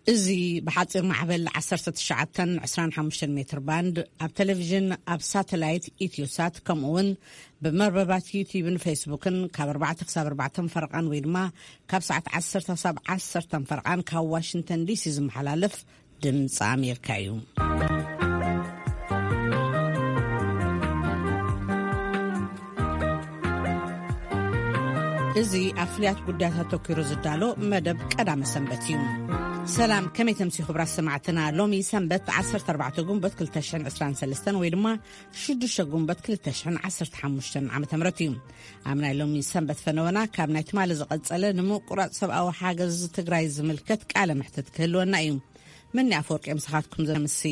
እዚ ብሓጺር ማዕበል ዓሰርተ ትሽዓተን ዕስራን ሓሙሽተን ሜትር ባንድ፣ ኣብ ቴሌቪዥን፣ ኣብ ሳተላይት ኢትዮሳት፣ ከምኡ እውን ብመርበባት ዩቲዩብን ፌስቡክን ካብ ኣርባዕተ ክሳብ ኣርባዕተ ፈረቓን ወይ ድማ ካብ ሰዓት ዓሰርተ ክሳብ ዓሰርተ ፈረቓን ካብ ዋሽንግተን ዲሲ ዝመሓላለፍ ድምፂ ኣሜሪካ እዩ። እዚ ኣብ ፍሉያት ጉዳያት ኣተኲሩ ዝዳሎ መደብ ቀዳመ ሰንበት እዩ። ሰላም፣ ከመይ ተምሲ ክቡራት ሰማዕትና? ሎሚ ሰንበት ዓሰርተ ኣርባዕተ ጉንበት ክልተ ሽሕን ዕስራን ሰለስተን ወይ ድማ ሽዱሽተ ጉንበት ክልተ ሽሕን ዓሰርተ ሓሙሽተን ዓመተ ምህረት እዩ። ኣብ ናይ ሎሚ ሰንበት ፈነወና ካብ ናይ ትማሊ ዝቐጸለ ንምቁራጽ ሰብኣዊ ሓገዝ ትግራይ ዝምልከት ቃለ መሕትት ክህልወና እዩ። መኒ ኣፈወርቂ ምሳኻትኩም ዘምሲ።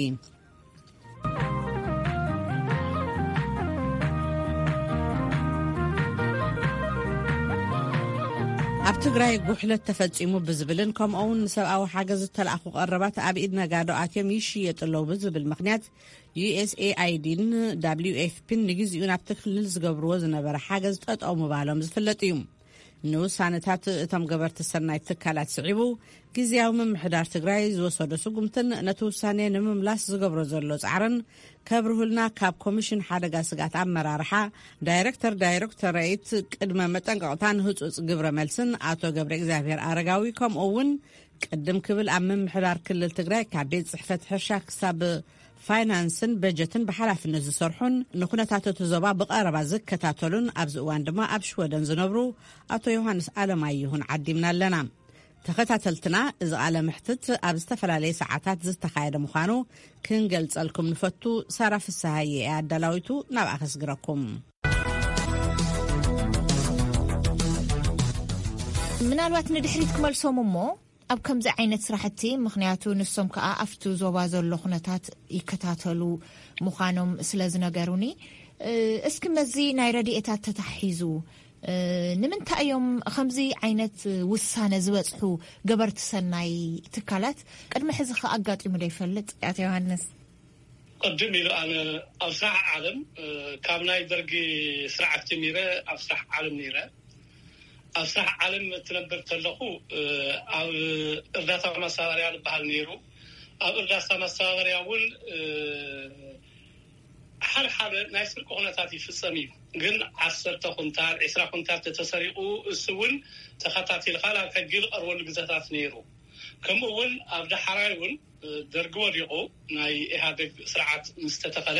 ኣብ ትግራይ ጉሕለት ተፈጺሙ ብዝብልን ከምኡ እውን ንሰብኣዊ ሓገዝ ዝተላእኹ ቀረባት ኣብ ኢድ ነጋዶ ኣትዮም ይሽየጡ ኣለዉ ብዝብል ምኽንያት፣ ዩ ኤስ ኤ ኣይ ዲን ደብሊው ኤፍ ፒን ንግዜኡ ናብቲ ክልል ዝገብርዎ ዝነበረ ሓገዝ ጠጠው ምባሎም ዝፍለጥ እዩ። ንውሳነታት እቶም ገበርቲ ሰናይ ትካላት ስዒቡ፣ ግዜያዊ ምምሕዳር ትግራይ ዝወሰዶ ስጉምትን ነቲ ውሳኔ ንምምላስ ዝገብሮ ዘሎ ጻዕርን ከብርሁልና ካብ ኮሚሽን ሓደጋ ስግኣት ኣመራርሓ ዳይሬክተር ዳይሬክቶሬት ቅድመ መጠንቀቕታን ህጹጽ ግብረ መልስን ኣቶ ገብረ እግዚኣብሔር ኣረጋዊ፣ ከምኡ እውን ቅድም ክብል ኣብ ምምሕዳር ክልል ትግራይ ካብ ቤት ጽሕፈት ሕርሻ ክሳብ ፋይናንስን በጀትን ብሓላፍነት ዝሰርሑን ንኩነታት እቲ ዞባ ብቐረባ ዝከታተሉን ኣብዚ እዋን ድማ ኣብ ሽወደን ዝነብሩ ኣቶ ዮሃንስ ኣለማየሁን ዓዲምና ኣለና። ተኸታተልትና፣ እዚ ቃለ መሕትት ኣብ ዝተፈላለየ ሰዓታት ዝተኻየደ ምዃኑ ክንገልጸልኩም ንፈቱ። ሳራ ፍስሃየ እያ ኣዳላዊቱ፣ ናብኣ ከስግረኩም። ምናልባት ንድሕሪት ክመልሶም እሞ፣ ኣብ ከምዚ ዓይነት ስራሕቲ፣ ምኽንያቱ ንሶም ከኣ ኣብቲ ዞባ ዘሎ ኩነታት ይከታተሉ ምዃኖም ስለ ዝነገሩኒ፣ እ፣ እስኪ መዚ ናይ ረድኤታት ተታሒዙ፣ እ፣ ንምንታይ እዮም ከምዚ ዓይነት ውሳነ ዝበጽሑ ገበርቲ ሰናይ ትካላት? ቅድሚ ሕዚ ከ ኣጋጢሙ ዶ ይፈልጥ? ኣቶ ዮሃንስ። ቅድም ኢሉ ኣነ ኣብ ስራሕ ዓለም፣ እ፣ ካብ ናይ ደርጊ ስርዓት ጀሚረ ኣብ ስራሕ ዓለም ነይረ። ኣብ ስራሕ ዓለም ትነብር ከለኹ፣ እ፣ ኣብ እርዳታ ማስተባበርያ ዝበሃል ነይሩ። ኣብ እርዳታ ማስተባበርያ እውን፣ እ፣ ሓደ ሓደ ናይ ስርቂ ኩነታት ይፍጸም እዩ። ግን ዓሰርተ ኩንታል፣ ዒስራ ኩንታል ተተሰሪቑ፣ እሱ እውን ተኸታቲልካ ናብ ሕጊ ዝቐርበሉ ግዜታት ነይሩ። ከምኡ እውን ኣብ ዳሕራይ እውን፣ እ፣ ደርጊ ወዲቑ ናይ ኢህኣዴግ ስርዓት ምስ ተተኸለ፣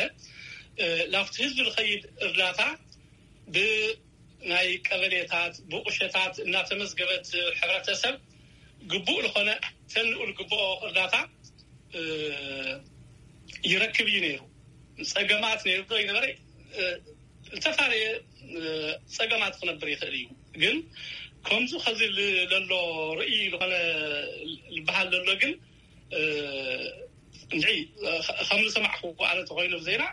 እ፣ ላብቲ ህዝቢ ዝኸይድ እርዳታ ብናይ ቀበሌታት፣ ብቁሸታት እናተመዝገበት፣ ሕብረተሰብ ግቡእ ዝኾነ ተንኡ ዝግብኦ እርዳታ፣ እ፣ ይረክብ እዩ ነይሩ። ጸገማት ነይሩ ዶ ይነበረ? እ፣ ዝተፈላለየ፣ እ፣ ጸገማት ክነብር ይኽእል እዩ። ግን ከምዚ ኸዚ ል-፣ ለሎ ርእይ ዝኾነ ዝበሃል ዘሎ ግን፣ እ፣ እንድዒ፣ ኸ-፣ ከም ዝሰማዕኹዎ ኣነ ተኾይኑ ዜና፣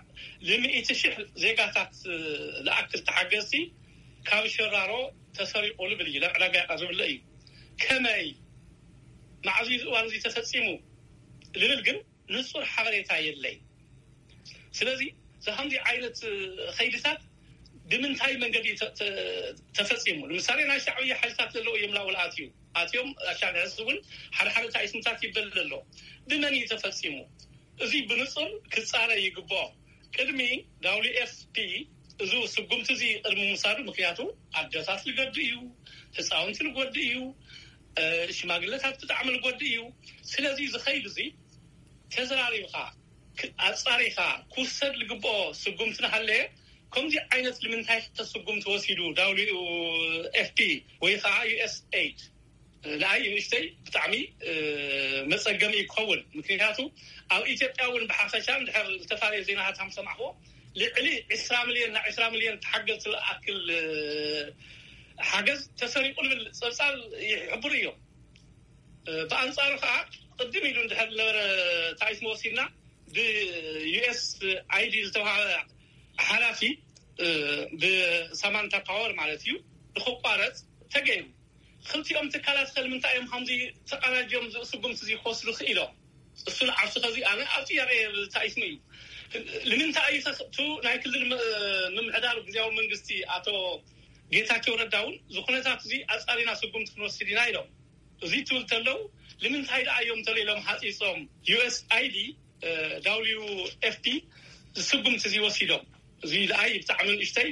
ልምኢቲ ሽሕ ዜጋታት፣ እ፣ ዝኣክል ተሓገዝቲ ካብ ሸራሮ ተሰሪቑ ልብል እዩ፣ ናብ ዕዳጋ ይቐርብ ኣሎ እዩ። ከመይ፣ መዓዝ እዩ እዚ እዋን እዚ ተፈጺሙ ልብል ግን ንጹር ሓበሬታ የለይ። ስለዚ፣ እዚ ከምዚ ዓይነት፣ እ፣ ኸይድታት ብምንታይ መንገዲ ተ-፣ ተ-፣ ተፈጺሙ? ንምሳሌ፣ ናይ ሻዕብያ ሓይልታት ዘለዉ እዮም ላውል ኣትዩ፣ ኣትዮም ኣሻግዕስ እውን ሓደ ሓደ ታይስምታት ይበል ዘሎ። ብመን እዩ ተፈጺሙ? እዚ ብንጹር ክጻረ ይግብኦ። ቅድሚ ደብሊው ኤፍ ፒ እዚ ስጉምቲ እዚ ቅድሚ ምውሳዱ፣ ምክንያቱ ኣደታት ልገድ እዩ፣ ህፃውንቲ ልጎድ እዩ፣ እ፣ ሽማግለታት ብጣዕሚ ልጎድ እዩ። ስለዚ ዝኸይድ እዚ ተዘራሪብካ፣ ክ-፣ ኣጻሪኻ ክውሰድ ልግብኦ ስጉምቲ እናሃለየ፣ ከምዚ ዓይነት ልምንታይ ተስጉምቲ ወሲዱ ደብሊው ኤፍ ፒ ወይ ከዓ ዩ ኤስ ኤይድ? ንኣይ ንእሽተይ ብጣዕሚ፣ እ፣ መጸገሚ እዩ ክኸውን። ምክንያቱ ኣብ ኢትዮጵያ እውን ብሓፈሻ እንድሕር ዝተፈላለየ ዜናታት ከም ሰማዕዎ፣ ልዕሊ ዕስራ ሚልዮን፣ ናብ ዕስራ ሚልዮን ተሓገዝቲ ዝኣክል፣ እ፣ ሓገዝ ተሰሪቑ ዝብል ጸብጻብ ይሕብሩ እዮም። እ፣ ብኣንጻሩ ከዓ ቅድም ኢሉ እንድሕር ዝነበረ ታሪፍ መወሲድና ብዩ ኤስ ኣይ ዲ ዝተባሃበ ሓላፊ፣ እ፣ ብሳማንታ ፓወር ማለት እዩ፣ ንኽቋረጽ ተገይሩ። ክልቲኦም ትካላት ከ ንምንታይ እዮም ከምዚ ተቀናጅዮም እዚ ስጉምቲ እዚ ክወስዱ ክኢሎም? እሱ ንዓርሱ ከዚ ኣነ ኣብ ጥያቄ ታይስሙ እዩ። ንምንታይ እዩ ከ-፣ እቱ ናይ ክልል ም-፣ ምምሕዳር ግዜያዊ መንግስቲ ኣቶ ጌታቸው ረዳ እውን እዚ ኩነታት እዚ ኣጻሪና ስጉምቲ ክንወስድ ኢና ኢሎም። እዚ ትብል ተለው ንምንታይ ደኣ እዮም ተለይሎም ሓፂፆም? ዩ ኤስ ኣይ ዲ፣ ዳብሊዩ ኤፍ ዲ ዝስጉምቲ እዚ ወሲዶም። እዚ ደኣ ብጣዕሚ ንእሽተይ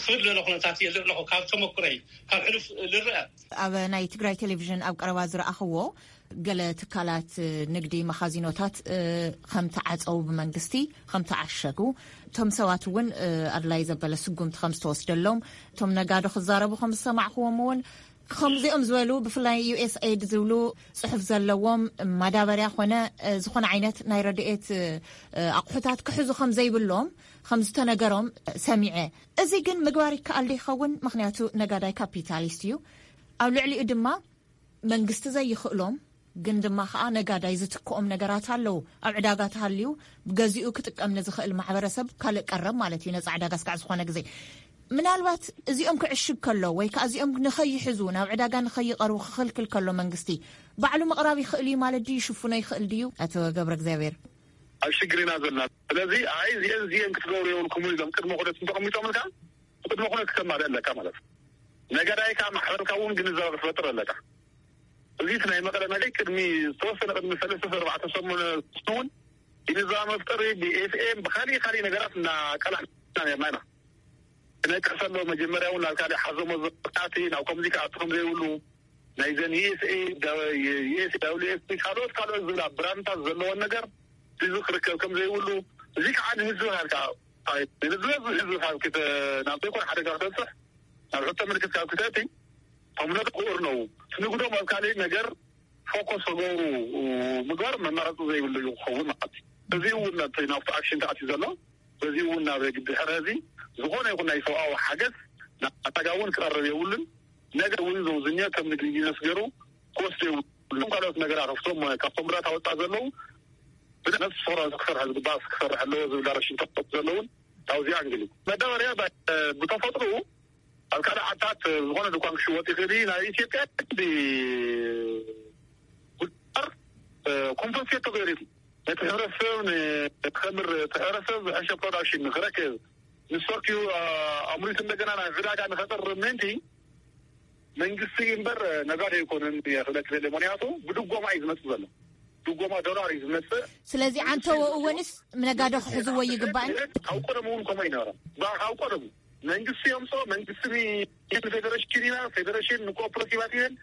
ክብድ ለለ ኩነታት እየ ዝርኢ ኣለኹ፣ ካብ ተመኩረይ፣ ካብ ሕሉፍ ዝረአ። ኣብ ናይ ትግራይ ቴሌቪዥን ኣብ ቀረባ ዝረኣኽዎ፣ ገለ ትካላት ንግዲ፣ መኻዚኖታት ከም ተዓፀው ብመንግስቲ ከም ተዓሸጉ፣ እቶም ሰባት እውን ኣድላይ ዘበለ ስጉምቲ ከም ዝተወስደሎም፣ እቶም ነጋዶ ክዛረቡ ከም ዝሰማዕክዎም እውን፣ ከምዚኦም ዝበሉ ብፍላይ ዩ ኤስ ኤድ ዝብሉ ፅሑፍ ዘለዎም ማዳበርያ ኮነ ዝኾነ ዓይነት ናይ ረድኤት ኣቑሑታት ክሕዙ ከም ዘይብሎም ከም ዝተነገሮም ሰሚዐ። እዚ ግን ምግባር ይከኣል ዶ ይኸውን? ምኽንያቱ ነጋዳይ ካፒታሊስት እዩ። ኣብ ልዕሊኡ ድማ መንግስቲ ዘይኽእሎም ግን ድማ ከዓ ነጋዳይ ዝትክኦም ነገራት ኣለዉ። ኣብ ዕዳጋ ተሃልዩ ብገዚኡ ክጥቀም ንዝኽእል ማሕበረሰብ ካልእ ቀረብ ማለት እዩ፣ ነፃ ዕዳጋ እስካዕ ዝኾነ ግዜ። ምናልባት እዚኦም ክዕሽግ ከሎ ወይ ከዓ እዚኦም ንኸይሕዙ ናብ ዕዳጋ ንኸይቐርቡ ክኽልክል ከሎ መንግስቲ ባዕሉ ምቕራብ ይኽእል እዩ ማለት ድዩ? ይሽፍኖ ይኽእል ድዩ? ኣቶ ገብረ እግዚኣብሔር። ኣብ ሽግር ኢና ዘለና። ስለዚ ኣይ እዚአን እዚአን ክትገብሩ የብልኩም ኢሎም ቅድመ ኩነት እንተቐሚጦምልካ ቅድመ ኩነት ክተማልእ ኣለካ ማለት እዩ። ነጋዳይ ከዓ ማሕበርካ እውን ግንዛበ ክትፈጥር ኣለካ። እዚ እቲ ናይ መቐለ ነገር ቅድሚ ዝተወሰነ ቅድሚ ሰለስተ ኣርባዕተ ሰሙን እውን ግንዛበ መፍጠሪ ብኤፍኤም ብካሊእ ካሊእ ነገራት እናቀላሕና ነርና ኢና። ክነቅሕ ከሎ መጀመርያ እውን ናብ ካሊእ ሓዞሞ ዘቃቲ ናብ ከምዚ ክኣቱ ከም ዘይብሉ ናይዘን ዩኤስኤ ዩኤስኤ ካልኦት ካልኦት ዝብላ ብራንድታት ዘለዎን ነገር እዚ ክርከብ ከም ዘይብሉ እዚ ከዓ ንህዝቢ ሃልካ ንህዝቢ ህዝቢ ሃልኪ ናብ ዘይኮነ ሓደጋ ክተብፅሕ ናብ ሕቶ ምልክት ካብ ክተእቲ እቶም ነጥቁር ነው ትንግዶም ኣብ ካልእ ነገር ፎኮስ ክገብሩ ምግባር መመረፂ ዘይብሉ እዩ ክኸውን ማለት እዩ። እዚ እውን ናብቲ ናብቲ ኣክሽን ተኣትዩ ዘሎ በዚ እውን ናብ ድሕሪ እዚ ዝኾነ ይኹን ናይ ሰብኣዊ ሓገዝ ናብ ዕዳጋ እውን ክቐርብ የብሉን። ነገር እውን ዘውዝኛ ከም ንግዲ ይነስገሩ ክወስዱ የብሉን። ካልኦት ነገራት ኣብቶም ካብቶም ብራት ኣወፃእ ዘለዉ ብነፍሲ ሶራ ክሰርሕ ዝግባእ ክሰርሕ ኣለዎ ዝብል ዳይሬክሽን ተቆጥ ዘለውን ታውዚያ እንግሊ መዳበርያ ብተፈጥሩ ኣብ ካልእ ዓድታት ዝኾነ ድኳን ክሽወጥ ይኽእል እዩ። ናብ ኢትዮጵያ ብ ጉዳር ኮምፐንሴት ተገይሩ ነቲ ሕብረተሰብ ንክኸምር እቲ ሕብረተሰብ ዝሐሸ ፕሮዳክሽን ንክረክብ ንሰርኪዩ ኣምሪቱ እንደገና ናብ ዕዳጋ ንኸቅርብ ምእንቲ መንግስቲ እምበር ነጋዶ ኣይኮነን ክብለክ ዘለ ምክንያቱ ብድጎማ እዩ ዝመፅእ ዘሎ ድጎማ ዶላር እዩ ዝመፅእ። ስለዚ ዓንተወ እወንስ ነጋዶ ክሕዝዎ ይግባእን ካብ ቀደሙ እውን ከምኡ ይነበረ ካብ ቀደሙ መንግስቲ የምፅኦ መንግስቲ ንፌደሬሽን ኢና ፌደሬሽን ንኮኦፐሬቲቫት እየን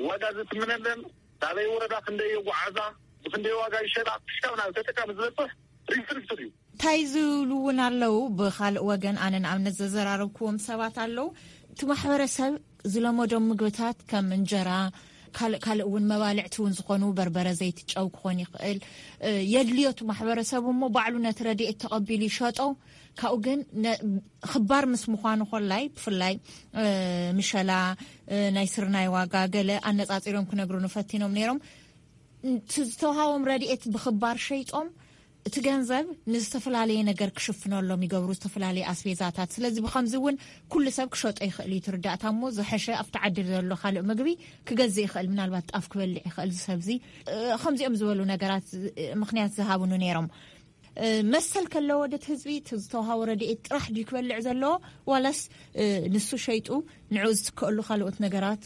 ዋጋ ዝትምነለን ናበይ ወረዳ ክንደይ የጓዓዛ ብክንደይ ዋጋ ይሸጣ ክሻብ ናብ ተጠቃሚ ዝበፅሕ ሪስርፍት እዩ። እንታይ ዝብሉ እውን ኣለዉ። ብካልእ ወገን ኣነ ንኣብነት ዘዘራረብክዎም ሰባት ኣለዉ። እቲ ማሕበረሰብ ዝለመዶም ምግብታት ከም እንጀራ ካልእ ካልእ እውን መባልዕቲ እውን ዝኾኑ በርበረ ዘይቲ ጨው ክኾን ይኽእል የድልዮ እቲ ማሕበረሰብ እሞ ባዕሉ ነቲ ረድኤት ተቐቢሉ ይሸጦ። ካብኡ ግን ክባር ምስ ምዃኑ ኮላይ ብፍላይ ምሸላ ናይ ስርናይ ዋጋ ገለ ኣነፃፂሮም ክነግሩኒ ፈቲኖም ነይሮም። እቲ ዝተውሃቦም ረድኤት ብኽባር ሸይጦም እቲ ገንዘብ ንዝተፈላለየ ነገር ክሽፍነሎም ይገብሩ፣ ዝተፈላለየ ኣስቤዛታት። ስለዚ ብኸምዚ እውን ኩሉ ሰብ ክሸጦ ይኽእል እዩ። ትርዳእታ እሞ ዝሐሸ ኣብቲ ዓዲ ዘሎ ካልእ ምግቢ ክገዝእ ይኽእል፣ ምናልባት ጣፍ ክበልዕ ይኽእል። ዝሰብዚ ከምዚኦም ዝበሉ ነገራት ምኽንያት ዝሃብኑ ነይሮም። መሰል ከለዎ ደት ህዝቢ ዝተውሃቦ ረድኤት ጥራሕ ድዩ ክበልዕ ዘለዎ ዋላስ ንሱ ሸይጡ ንዑ ዝትከእሉ ካልኦት ነገራት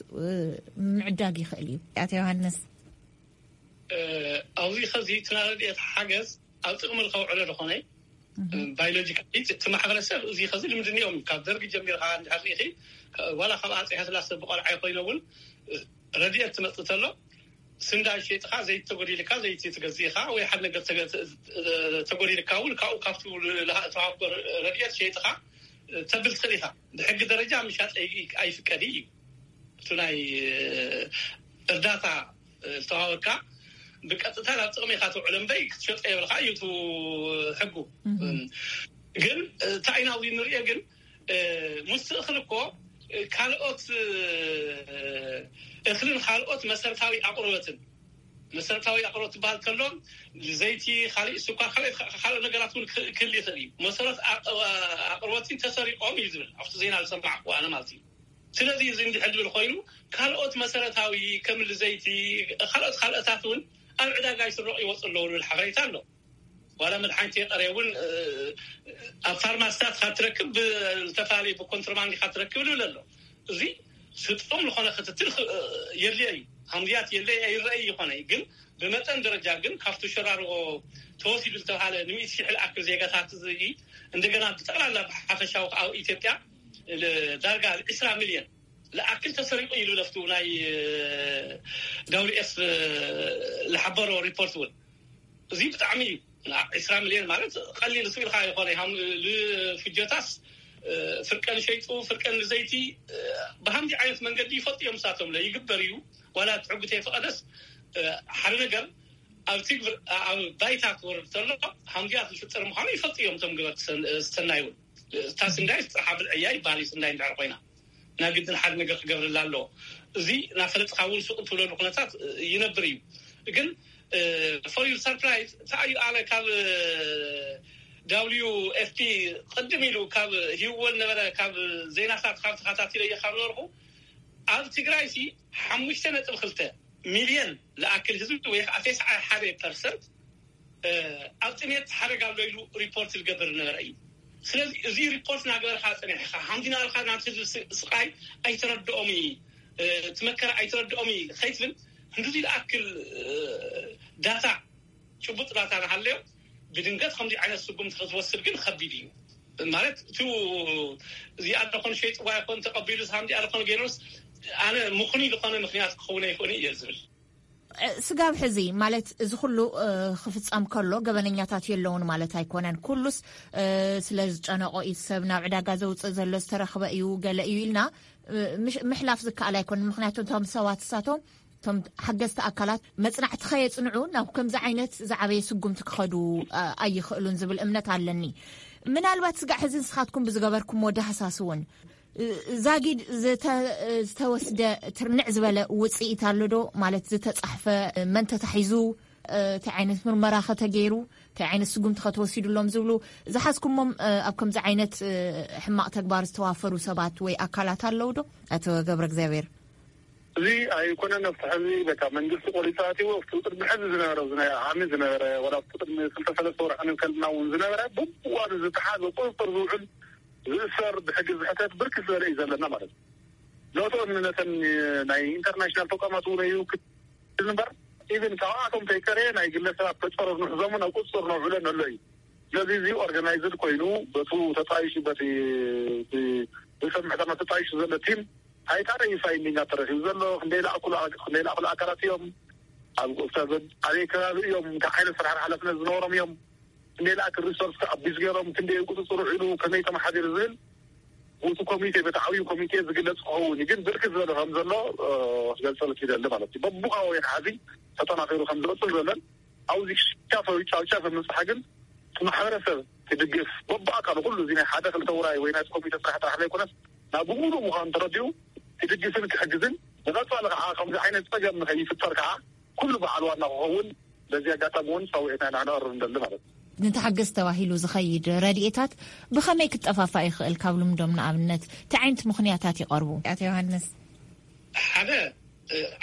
ምዕዳግ ይኽእል እዩ? ኣቶ ዮሃንስ ኣብዚ ኸዚ እቲ ናይ ረድኤት ሓገዝ ኣብ ጥቕሚ ከውዕሎ ዝኾነ ባዮሎጂካሊ እቲ ማሕበረሰብ እዚ ኸዚ ልምዲ እኒኦም ካብ ደርጊ ጀሚርካ እንድሕር ርኢኺ ዋላ ካብ ኣፀ ሃይለስላሰ ብቆልዓ ይኮይነ እውን ረድኤት ትመፅእ ተሎ ስንዳይ ሸይጥኻ ዘይቲ ተጎዲልካ ዘይቲ ትገዝእ ኢኻ ወይ ሓደ ነገር ተጎዲልካ እውን ካብኡ ካብቲ ተዋህቦ ረድኤት ሸይጥኻ ተብል ትኽእል ኢኻ። ብሕጊ ደረጃ ምሻጥ ኣይፍቀድ እዩ። እቲ ናይ እርዳታ ዝተዋሃበካ ብቀጥታ ናብ ጥቕሚ ኢኻ ትውዕሎ እምበይ ክትሸጦ የብልካ እዩ እቲ ሕጉ። ግን እንታይ ኢና ኣብዚ ንሪኦ ግን ምስቲ እኽሊ እኮ ካልኦት እኽልን ካልኦት መሰረታዊ ኣቕርበትን መሰረታዊ ኣቕርቦት ዝበሃል ከሎ ዘይቲ፣ ካልእ ስኳር፣ ካልእ ካልእ ነገራት እውን ክህል ይኽእል እዩ። መሰረት ኣቕርቦት ተሰሪቆም እዩ ዝብል ኣብቲ ዜና ዝሰማዕኩ ኣነ ማለት እዩ። ስለዚ እዚ እንድሕር ዝብል ኮይኑ ካልኦት መሰረታዊ ከም ዘይቲ ካልኦት ካልኦታት እውን ኣብ ዕዳጋ ይስረቑ ይወፁ ኣለዉ ዝብል ሓበሬታ ኣሎ። ዋላ መድሓኒት የቀርየ እውን ኣብ ፋርማስታት ካብ ትረክብ ዝተፈላለዩ ብኮንትሮባንድ ካብ ትረክብ ዝብል ኣሎ። እዚ ስጡም ዝኾነ ክትትል የድልዮ እዩ። ሃምዝያት የለ ኣይረኣይ ይኾነ፣ ግን ብመጠን ደረጃ ግን ካብቲ ሸራሮ ተወሲዱ ዝተባሃለ ንሚእቲ ሺሕ ዝኣክል ዜጋታት እዚ እንደገና ብጠቕላላ ብሓፈሻዊ ኣብ ኢትዮጵያ ዳርጋ ዕስራ ሚልዮን ዝኣክል ተሰሪቑ ኢሉ ለፍቱ ናይ ዳብሊው ኤፍ ዝሓበሮ ሪፖርት እውን እዚ ብጣዕሚ እዩ። ዕስራ ሚልዮን ማለት ቀሊል ስኢልካ ይኾነ። ንፍጆታስ ፍርቀን ሸይጡ ፍርቀን ንዘይቲ ብሃምዚ ዓይነት መንገዲ ይፈልጡ እዮም። ሳቶም ለ ይግበር እዩ። ዋላ ትዕጉት የፈቐደስ ሓደ ነገር ኣብ ትግብር ኣብ ባይታ ክወርድ ተሎ ሃምዚያ ዝፍጠር ምዃኑ ይፈልጡ እዮም። እቶም ግበር ዝሰናይ እውን እታ ስንዳይ ጥርሓ ብልዕያ ይበሃል እዩ። ስንዳይ እንድሕር ኮይና ናይ ግድን ሓደ ነገር ክገብርላ ኣለዎ። እዚ ናፈለጥካ እውን ስቕ ትብለሉ ኩነታት ይነብር እዩ። ግን for your surprise ተኣዩ ኣለ ካብ ዳብሊው ኤፍ ፒ ቅድም ኢሉ ካብ ሂወን ነበረ ካብ ዜናታት ካብ ተኸታቲለ እየ ካብ ነበርኩ ኣብ ትግራይ ሲ ሓሙሽተ ነጥቢ ክልተ ሚልዮን ዝኣክል ህዝቢ ወይ ከዓ ተስዓ ሓደ ፐርሰንት ኣብ ጥሜት ሓደጋ ኣሎ ኢሉ ሪፖርት ዝገብር ዝነበረ እዩ። ስለዚ እዚ ሪፖርት እናገበርካ ፀኒሕካ ሓምዲና ኢልካ ናብቲ ህዝቢ ስቃይ ኣይተረድኦም እዩ፣ እቲ መከራ ኣይተረድኦም እዩ ከይትብል ክንድዚ ዝኣክል ዳታ ጭቡጥ ዳታ ናሃለዮ ብድንገት ከምዚ ዓይነት ስጉምቲ ክትወስድ ግን ከቢድ እዩ። ማለት እቲ እዚኣ ደኾን ሸይጥዋ ይኮን ተቐቢሉ ሳምዚኣ ደኾን ገይሩስ ኣነ ምኽኑይ ዝኾነ ምክንያት ክኸውን ኣይኮነ እየ ዝብል። ስጋብ ሕዚ ማለት እዚ ኩሉ ክፍፀም ከሎ ገበነኛታት የለውን ማለት ኣይኮነን። ኩሉስ ስለ ዝጨነቆ እዩ ሰብ ናብ ዕዳጋ ዘውፅእ ዘሎ ዝተረኽበ እዩ ገለ እዩ ኢልና ምሕላፍ ዝከኣል ኣይኮነን። ምክንያቱ እቶም ሰባት እሳቶም እቶም ሓገዝቲ ኣካላት መፅናዕቲ ከየፅንዑ ናብ ከምዚ ዓይነት ዝዓበየ ስጉምቲ ክኸዱ ኣይኽእሉን ዝብል እምነት ኣለኒ። ምናልባት ስጋዕ ሕዚ ንስኻትኩም ብዝገበርኩምዎ ዳህሳስ እውን ዛጊድ ዝተወስደ ትርንዕ ዝበለ ውፅኢት ኣሎ ዶ? ማለት ዝተፃሕፈ መን ተታሒዙ፣ እንታይ ዓይነት ምርመራ ከተገይሩ፣ እንታይ ዓይነት ስጉምቲ ከተወሲዱሎም ዝብሉ ዝሓዝኩሞም ኣብ ከምዚ ዓይነት ሕማቕ ተግባር ዝተዋፈሩ ሰባት ወይ ኣካላት ኣለዉ ዶ? ኣቶ ገብረ እግዚኣብሔር። እዚ ኣይኮነን። ኣብቲ ሕዚ በቃ መንግስቲ ቆሊፃ ኣትዎ ኣብቲ ቅድሚ ሕዚ ዝነበረ ዓሚ ዝነበረ ወላ ኣብቲ ቅድሚ ክልተ ሰለስተ ወርሒ ንከልና እውን ዝነበረ ብዋኑ ዝተሓዘ ቁፅፅር ዝውዕል ዝእሰር ብሕጊ ዝሕተት ብርክት ዝበለ እዩ ዘለና ማለት እዩ። ነቶም ነተን ናይ ኢንተርናሽናል ተቋማት እውን እዩ እምበር ኢቨን ካብኣቶም ተይቀረየ ናይ ግለሰባት ተፀረር ንሕዞምን ኣብ ቁፅፅር ነውዕለን ኣሎ እዩ። ስለዚ እዚ ኦርጋናይዝድ ኮይኑ በቱ ተጣይሹ በቲ ብሰብ ምሕደራ ተጣይሹ ዘሎ ቲም ኣይታረ እዩ ፋይንዲንግ ተረኪቡ ዘሎ ክንደይ ለኣክሉ ክንደይ ለኣክሉ ኣካላት እዮም ኣብ ኣበይ ከባቢ እዮም እንታይ ዓይነት ስራሕ ሓላፍነት ዝነበሮም እዮም ክንደይ ለኣክል ሪሶርስ ኣቢዝ ገይሮም ክንደይ ቁፅፅር ውዒሉ ከመይ ተመሓዲሩ ዝብል እቲ ኮሚቴ በቲ ዓብዩ ኮሚቴ ዝግለፅ ክኸውን እዩ። ግን ብርክት ዝበለ ከም ዘሎ ክገልፀልክ ይደሊ ማለት እዩ። በቡካባቢ ሓዚ ተጠናኺሩ ከም ዝቕፅል ዘለን ኣብዚ ጫፍ ጫፍ ጫፍ ምብፅሓ ግን እቲ ማሕበረሰብ ክድግፍ በቡ ኣካሉ ኩሉ እዚ ናይ ሓደ ክልተ ውራይ ወይ ናይ ኮሚቴ ስራሕ ጥራሕ ዘይኮነስ ናብ ብሙሉእ ምዃኑ ተረዲኡ ክድግፍን ክሕግዝን ንቐፃሊ ከዓ ከምዚ ዓይነት ፀገም ንኸይፍጠር ከዓ ኩሉ በዓል ዋና ክኸውን በዚ ኣጋጣሚ እውን ፃውዒትና ኢና ክነቕርብ ንደሊ ማለት እዩ። ንተሓገዝ ተባሂሉ ዝኸይድ ረድኤታት ብኸመይ ክጠፋፋእ ይኽእል? ካብ ልምዶም ንኣብነት እንታይ ዓይነት ምኽንያታት ይቐርቡ? ኣቶ ዮሃንስ። ሓደ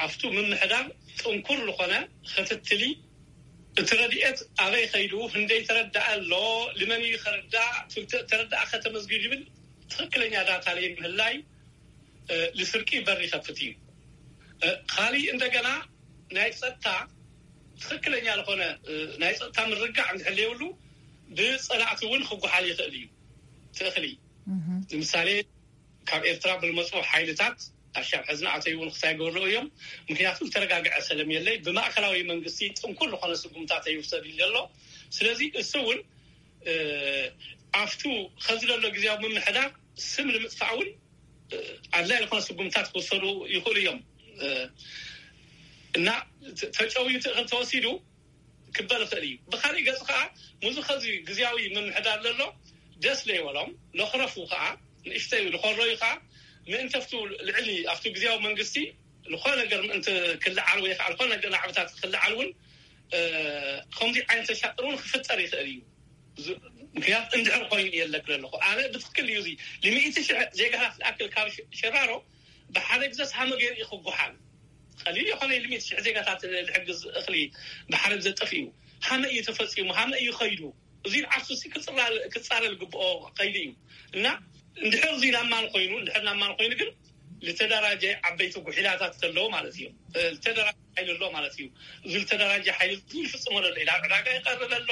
ኣብቱ ምምሕዳር ጥንኩር ዝኾነ ክትትሊ እቲ ረድኤት ኣበይ ከይዱ ክንደይ ተረዳእ ኣሎ ልመን እዩ ከረዳእ ተረዳእ ከተመዝግብ ይብል ትኽክለኛ ዳታ ለይ ምህላይ ልስርቂ በር ይኸፍት እዩ። ካሊእ እንደገና ናይ ፀጥታ ትኽክለኛ ዝኾነ ናይ ፀጥታ ምርጋዕ እንድሕር ዘይብሉ ብፀላእቲ እውን ክጓሓል ይኽእል እዩ። ትእኽሊ ንምሳሌ ካብ ኤርትራ ብዝመፁ ሓይልታት ኣሻብ ሕዝና ኣተይ እውን ክሳይ ገበርሉ እዮም። ምክንያቱ ዝተረጋግዐ ሰለም የለይ ብማእከላዊ መንግስቲ ጥንኩር ዝኾነ ስጉምታት ኣይውሰድ ይለ ኣሎ። ስለዚ እሱ እውን ኣብቱ ከዚ ዘሎ ግዜያዊ ምምሕዳር ስም ንምጥፋእ እውን ኣድላይ ዝኾነ ስጉምታት ክወሰዱ ይኽእሉ እዮም እና ተጨውዩ ትእኽል ተወሲዱ ክበል ይኽእል እዩ። ብካሊእ ገፅ ከዓ ሙዚ ከዚ ግዜያዊ ምምሕዳር ዘሎ ደስ ለይበሎም ለኽረፉ ከዓ ንእሽተይ ዝኮረዩ ከዓ ምእንተፍቱ ልዕሊ ኣብቲ ግዜያዊ መንግስቲ ዝኾነ ነገር ምእንቲ ክልዓል ወይ ከዓ ዝኾነ ነገር ናዕብታት ክልዓል እውን ከምዚ ዓይነት ተሻጥር እውን ክፍጠር ይኽእል እዩ። ምክንያት እንድሕር ኮይኑ እየ ለክለ ኣለኹ ኣነ ብትክክል እዩ እዚ ልሚእቲ ሽሕ ዜጋታት ዝኣክል ካብ ሸራሮ ብሓደ ግዘ ሃመ ገይሩ እዩ ክጓሓል ቀሊል የኾነ ልሚእቲ ሽሕ ዜጋታት ልሕግዝ እኽሊ ብሓደ ግዘ ጠፊኡ ሃመ እዩ ተፈፂሙ ሃመ እዩ ኸይዱ እዚ ዓርሱ ክፃረ ዝግብኦ ከይዱ እዩ እና እንድሕር እዚ ናማን ኮይኑ እንድሕር ናማን ኮይኑ ግን ዝተደራጀ ዓበይቲ ጉሒላታት ኣለዎ ማለት እዩ። ዝተደራጀ ሓይሊ ኣሎ ማለት እዩ። እዚ ዝተደራጀ ሓይሊ እዚ ይፍጽሞ ዘሎ ኢላ ዕዳጋ ይቐርብ ኣሎ።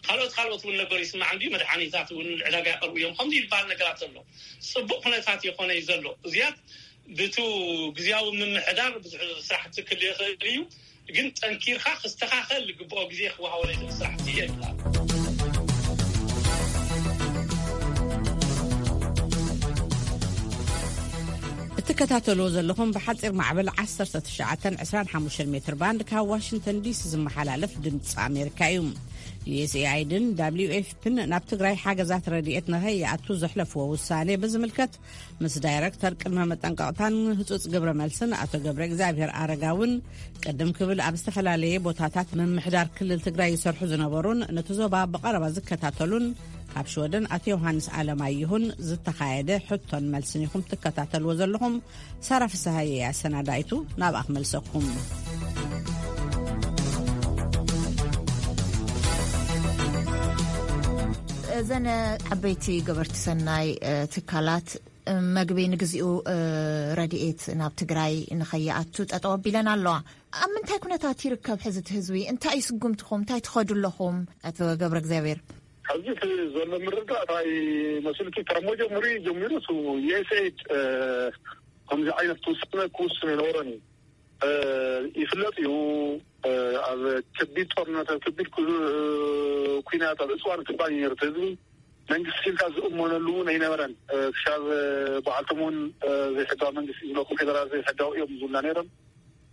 ካልኦት ካልኦት እውን ነገር ይስማዕ እንዲ መድሓኒታት እውን ዕዳጋ ይቐርቡ እዮም ከምዚ ይባል ነገራት ዘሎ። ጽቡቕ ኩነታት ይኾነ እዩ ዘሎ። እዚያት ብቱ ግዜያዊ ምምሕዳር ብዙሕ ስራሕቲ ክል ይኽእል እዩ። ግን ጠንኪርካ ክስተኻኸል ዝግብኦ ግዜ ክወሃቦ ናይ ስራሕቲ የብላ። እትከታተልዎ ዘለኹም ብሓፂር ማዕበል ዓሰርተ ትሽዓተ ዕስራን ሓሙሽተን ሜትር ባንድ ካብ ዋሽንግተን ዲሲ ዝመሓላለፍ ድምፂ ኣሜሪካ እዩ። ዩ ኤስ ኤ ኣይ ድን ደብሊው ኤፍ ፒን ናብ ትግራይ ሓገዛት ረድኤት ንኸይኣቱ ዘሕለፍዎ ውሳኔ ብዝምልከት ምስ ዳይረክተር ቅድመ መጠንቀቕታን ህጹጽ ግብረ መልስን ኣቶ ገብረ እግዚኣብሔር ኣረጋውን ቅድም ክብል ኣብ ዝተፈላለየ ቦታታት ምምሕዳር ክልል ትግራይ ይሰርሑ ዝነበሩን ነቲ ዞባ ብቐረባ ዝከታተሉን ካብ ሽወደን ኣቶ ዮሃንስ ኣለማየሁን ዝተኻየደ ሕቶን መልስን ኢኹም ትከታተልዎ ዘለኹም። ሳራ ፍስሃየ ኣሰናዳይቱ ናብኣ ክመልሰኩም። እዘን ዓበይቲ ገበርቲ ሰናይ ትካላት መግቢ ንግዚኡ ረድኤት ናብ ትግራይ ንኸይኣቱ ጠጠው ኣቢለን ኣለዋ። ኣብ ምንታይ ኩነታት ይርከብ ሕዚ እቲ ህዝቢ? እንታይ እዩ ስጉምትኹም? እንታይ ትኸዱ ኣለኹም? ኣቶ ገብረ እግዚኣብሔር። ሕዚ እቲ ዘሎ ምርዳእ እንታይ መስልኪ ካብ መጀመሪ ጀሚሩ ዩኤስኤድ ከምዚ ዓይነት ትውሳነ ክውስን የነበሮን እዩ። ይፍለጥ እዩ። ኣብ ከቢድ ጦርነት ኣብ ከቢድ ኩናት ኣብ እፅዋን ክባን ነርት ህዝቢ መንግስቲ ኢልካ ዝእመነሉ እውን ኣይነበረን። ክሻብ በዓልቶም እውን ዘይሕጋዊ መንግስቲ ዝብለኩም ፌደራል ዘይሕጋዊ እዮም ዝብላ ነይሮም።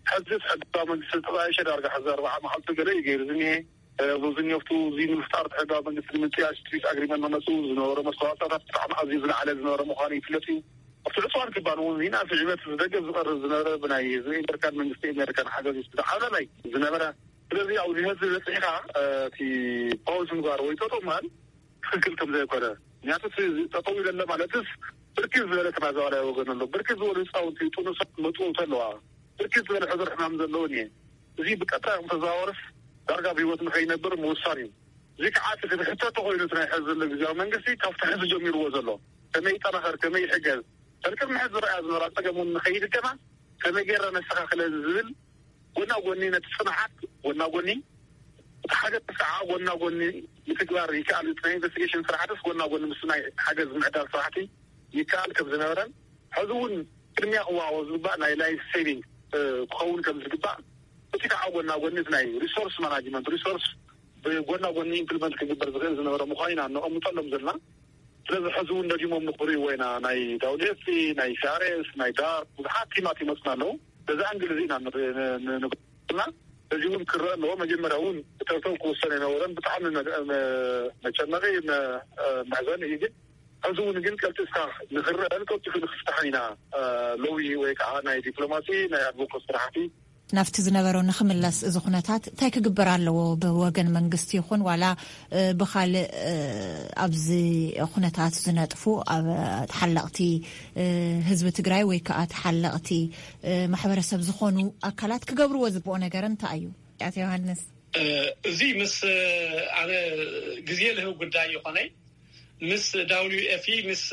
ሕዚ ሕጋዊ መንግስቲ ዝተጣየሸ ዳርጋ ሕዚ ኣርባዓ መዓልቲ ገለ እዩ ገይሩ ዝኒሄ። ብዙ ኒፍቱ እዚ ንምፍጣር ሕጋዊ መንግስቲ ንምጥያሽ ፒስ ኣግሪመንት መመፅኡ ዝነበረ መስተዋፅኦታት ብጣዕሚ ኣዝዩ ዝለዓለ ዝነበረ ምዃኑ ይፍለጥ እዩ። ኣብቲ ዕፅዋን ክባን እውን ዜና ስዕበት ዝደገፍ ዝቐርብ ዝነበረ ብናይ ህዝቢ ኣሜሪካን መንግስቲ ኣሜሪካን ሓገዝ ዝዓለመይ ዝነበረ። ስለዚ ኣብዚ ህዝቢ በፂሕካ እቲ ፓውዝ ምግባር ወይ ጠጠው ምባል ትክክል ከም ዘይኮነ። ምክንያቱ እቲ ጠጠው ኢለለ ማለትስ ብርክት ዝበለ ተናዛዋላይ ወገን ኣሎ። ብርክት ዝበሉ ህፃውንቲ ጥኑሳት መጥውቲ ኣለዋ። ብርክት ዝበለ ሕዱር ሕማም ዘለውን እየ። እዚ ብቀጥታ ተዘዋወርስ ዳርጋ ብህይወት ንኸይነብር ምውሳን እዩ። እዚ ከዓ እቲ ክትሕተቶ ኮይኑ እቲ ናይ ሕዚ ዘሎ ግዜያዊ መንግስቲ ካብቲ ሕዚ ጀሚርዎ ዘሎ ከመይ ይጠናኸር ከመይ ይሕገዝ። ከልቅድሚ ሕዚ ዝረኣያ ዝነበራ ፀገም እውን ንኸይድገማ ከመይ ገይረ ነስተኻኽለን ዝብል ጎና ጎኒ ነቲ ፅንዓት ጎና ጎኒ እቲ ሓደ ከዓ ጎና ጎኒ ምትግባር ይከኣል። እቲ ናይ ኢንቨስቲጌሽን ስራሕትስ ጎና ጎኒ ምስ ናይ ሓገዝ ምዕዳል ስራሕቲ ይከኣል ከም ዝነበረን ሕዚ እውን ቅድሚያ ክወሃቦ ዝግባእ ናይ ላይፍ ሴቪንግ ክኸውን ከም ዝግባእ እቲ ከዓ ጎና ጎኒ እቲ ናይ ሪሶርስ ማናጅመንት ሪሶርስ ብጎና ጎኒ ኢምፕሊመንት ክግበር ዝኽእል ዝነበረ ምዃኑ ኢና ነቐምጠሎም ዘለና። ስለዚ ሕዚ እውን ደጊሞም ንኽርእይዎ ኢና። ናይ ዳውዴሲ ናይ ሲኣርኤስ ናይ ዳር ብዙሓት ቲማት ይመፅና ኣለዉ። በዚ ኣንግል እዚ ኢና ንና እዚ እውን ክረአ ኣለዎ። መጀመርያ እውን እተውተው ክወሰን የነበረን ብጣዕሚ መጨነቂ መሕዘን እዩ። ግን ሕዚ እውን ግን ቀልጢፍካ ንክረአን ቀልጢፉ ንክፍታሕን ኢና ሎቢ ወይ ከዓ ናይ ዲፕሎማሲ ናይ ኣድቮኮት ስራሕቲ ናብቲ ዝነበሮ ንክምለስ እዚ ኩነታት እንታይ ክግበር ኣለዎ? ብወገን መንግስቲ ይኹን ዋላ ብካልእ ኣብዚ ኩነታት ዝነጥፉ ኣብ ተሓለቕቲ ህዝቢ ትግራይ ወይ ከዓ ተሓለቕቲ ማሕበረሰብ ዝኾኑ ኣካላት ክገብርዎ ዝግብኦ ነገር እንታይ እዩ? ኣቶ ዮሃንስ። እዚ ምስ ኣነ ግዜ ልህብ ጉዳይ ይኾነይ ምስ ዳብሊዩ ኤፍ ኢ ምስ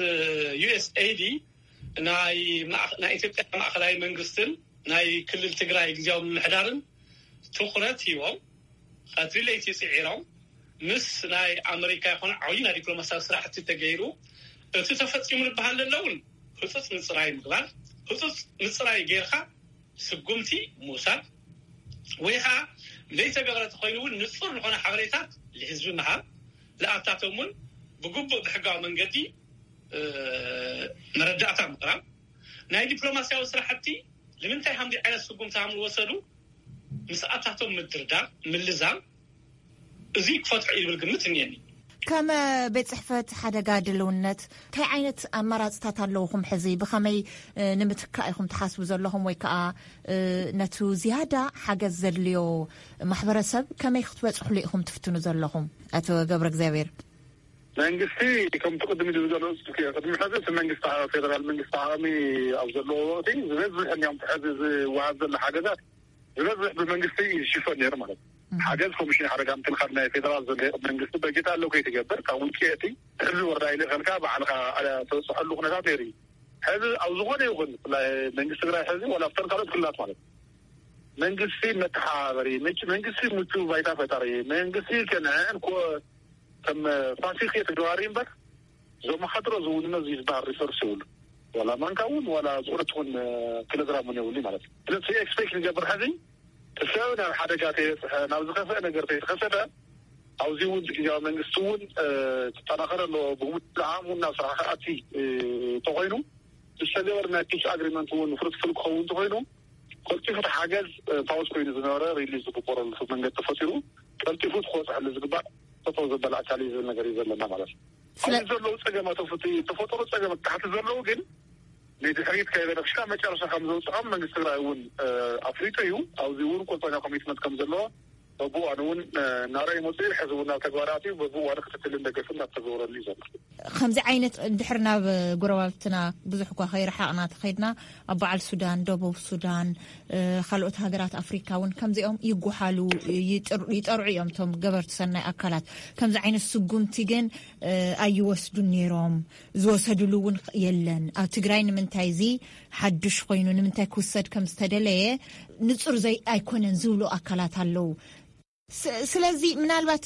ዩ ኤስ ኤ ዲ ናይ ኢትዮጵያ ማእኸላይ መንግስትን ናይ ክልል ትግራይ ግዜያዊ ምምሕዳርን ትኹረት ሂቦም ቀትሪ ለይቲ ፅዒሮም ምስ ናይ ኣመሪካ ይኮነ ዓብዩ ናይ ዲፕሎማሲያዊ ስራሕቲ ተገይሩ እቲ ተፈፂሙ ዝበሃል ዘሎ እውን ህፁፅ ምፅራይ ምግባር። ህፁፅ ምፅራይ ጌርካ ስጉምቲ ምውሳድ ወይ ከዓ ዘይተገበረ ተኮይኑ እውን ንፁር ዝኾነ ሓበሬታት ልህዝቢ ምሃብ። ልኣታቶም እውን ብግቡእ ብሕጋዊ መንገዲ መረዳእታ ምቕራብ። ናይ ዲፕሎማሲያዊ ስራሕቲ ንምንታይ ሃምዚ ዓይነት ስጉምቲ ሃም ዝወሰዱ ምስኣታቶም ምድርዳር ምልዛም። እዚ ክፈትሑ ይብል ግምት እኒአኒ። ከም ቤት ጽሕፈት ሓደጋ ድልውነት እንታይ ዓይነት ኣማራፅታት ኣለውኹም ሕዚ ብኸመይ ንምትካእ ኢኹም ትሓስቡ ዘለኹም ወይ ከዓ ነቱ ዝያዳ ሓገዝ ዘድልዮ ማሕበረሰብ ከመይ ክትበፅሕሉ ኢኹም ትፍትኑ ዘለኹም? ኣቶ ገብረ እግዚኣብሔር። መንግስቲ ከምቲ ቅድሚ ዝገለፁ ቅድሚ ሕዚ እቲ መንግስቲ ፌደራል መንግስቲ ዓቕሚ ኣብ ዘለዎ ወቅቲ ዝበዝሕ እንዲያም ሕዚ ዝወሃብ ዘሎ ሓገዛት ዝበዝሕ ብመንግስቲ እዩ ዝሽፈን ነይሩ ማለት እዩ። ሓገዝ ኮሚሽን ሓደጋ ምክልኻል ናይ ፌደራል ዘሎ መንግስቲ በጀት ኣሎ ከይትገብር ካብ ውጭ እቲ ሕዚ ወረዳ ኢለ ከልካ ባዕልካ ተበፅሐሉ ኩነታት ነይሩ እዩ። ሕዚ ኣብ ዝኾነ ይኹን ብፍላይ መንግስቲ ትግራይ ሕዚ ዋላ ኣብተን ካልኦት ክልላት ማለት መንግስቲ መተሓባበሪ፣ ምች- መንግስቲ ምቹ ባይታ ፈጣሪ፣ መንግስቲ ከንዕን ኮ ከም ፋሲክ ተግባሪ እምበር ዘመሓድሮ ዝውንነ ዝበሃል ሪሶርስ ይብሉ ዋላ ማንካ እውን ዋላ ዝኾነ ትኹን ኪሎግራም እውን የብሉ ማለት እዩ። ስለዚ ኤክስፔክት ንገብር ሕዚ ሰብ ናብ ሓደጋ ተየብፅሐ ናብ ዝኸፍአ ነገር ተይተኸሰተ ኣብዚ እውን ግዜያዊ መንግስቲ እውን ክጠናኸረ ኣለዎ። ብሙሉእ ዓም እውን ናብ ስራሕ ክኣቲ ተኮይኑ ዝተገበር ናይ ፒስ ኣግሪመንት እውን ፍሩትፉል ክኸውን ተኮይኑ ቀልጢፉ ተሓገዝ ፓውስ ኮይኑ ዝነበረ ሪሊዝ ዝግበረሉ መንገዲ ተፈጢሩ ቀልጢፉ ክወፅሐሉ ዝግባእ ጠጠው ዘበለ ኣካል እዩ ዝብል ነገር እዩ ዘለና ማለት እዩ። ስለ- ኣብዚ ዘለዉ ፀገማት ተፈጢ- ተፈጠሩ ፀገማት ታሕቲ ዘለዉ ግን ንድሕሪት ከይበለ ክሻ መጨረሻ ከም ዘውፅዖም መንግስቲ ትግራይ እውን ኣፍሊጡ እዩ። ኣብዚ እውን ቁርፀኛ ኮሚትመንት ከም ዘለዎ በብእዋኑ እውን እናረኣዩ መፅኡ። ሕዚ እውን ናብ ተግባራት እዩ። በብእዋኑ ክትትልን ደገፍን እናተገበረሉ እዩ ዘሎ። ከምዚ ዓይነት ድሕር ናብ ጎረባብትና ብዙሕ እኳ ከይረሓቕና ተኸድና ኣብ በዓል ሱዳን፣ ደቡብ ሱዳን፣ ካልኦት ሃገራት ኣፍሪካ እውን ከምዚኦም ይጓሓሉ፣ ይጠርዑ እዮም። እቶም ገበርቲ ሰናይ ኣካላት ከምዚ ዓይነት ስጉምቲ ግን ኣይወስዱን ነይሮም። ዝወሰድሉ እውን የለን። ኣብ ትግራይ ንምንታይ እዚ ሓዱሽ ኮይኑ ንምንታይ ክውሰድ ከም ዝተደለየ ንፁር ዘይ ኣይኮነን ዝብሉ ኣካላት ኣለዉ። ስለዚ ምናልባት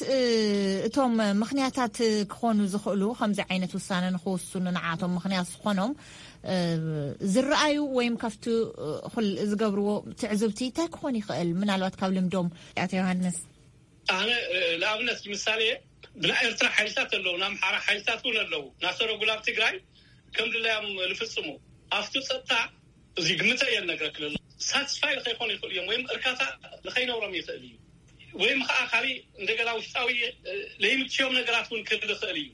እቶም ምኽንያታት ክኾኑ ዝኽእሉ ከምዚ ዓይነት ውሳነ ንክውስኑ ንዓቶም ምኽንያት ዝኾኖም ዝረኣዩ ወይም ካብቲ ዝገብርዎ ትዕዝብቲ እንታይ ክኾን ይኽእል? ምናልባት ካብ ልምዶም ኣቶ ዮሃንስ። ኣነ ንኣብነት ምሳሌ ብናይ ኤርትራ ሓይልታት ኣለዉ፣ ናይ ኣምሓራ ሓይልታት እውን ኣለዉ እናሰረጉ ናብ ትግራይ ከም ድላዮም ዝፍፅሙ ኣብቲ ፀጥታ እዚ ግምተ እየ ነግረክለ ሳትስፋይ ከይኮኑ ይኽእሉ እዮም ወይም እርካታ ንኸይነብሮም ይኽእል እዩ ወይም ከዓ ካሊእ እንደገና ውሽጣዊ ለይምችዮም ነገራት እውን ክህል ይኽእል እዩ።